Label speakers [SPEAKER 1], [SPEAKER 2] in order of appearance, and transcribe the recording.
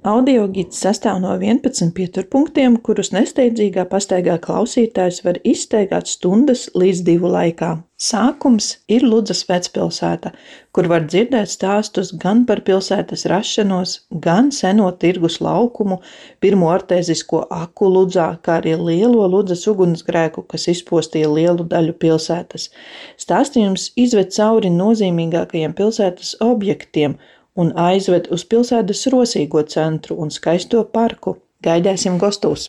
[SPEAKER 1] Audiogids sastāv no 11 pieturpunktiem, kurus nesteidzīgā pastaigā klausītājs var izstaigāt stundas līdz 2 laikā. Sākums ir Ludzas vecpilsēta, kur var dzirdēt stāstus gan par pilsētas rašanos, gan seno tirgus laukumu, pirmo artēzisko aku Ludzā, kā arī lielo Ludzas ugunsgrēku, kas izpostīja lielu daļu pilsētas. Stāstījums izved cauri nozīmīgākajiem pilsētas objektiem un aizved uz pilsētas rosīgo centru un skaisto parku. Gaidēsim gostos!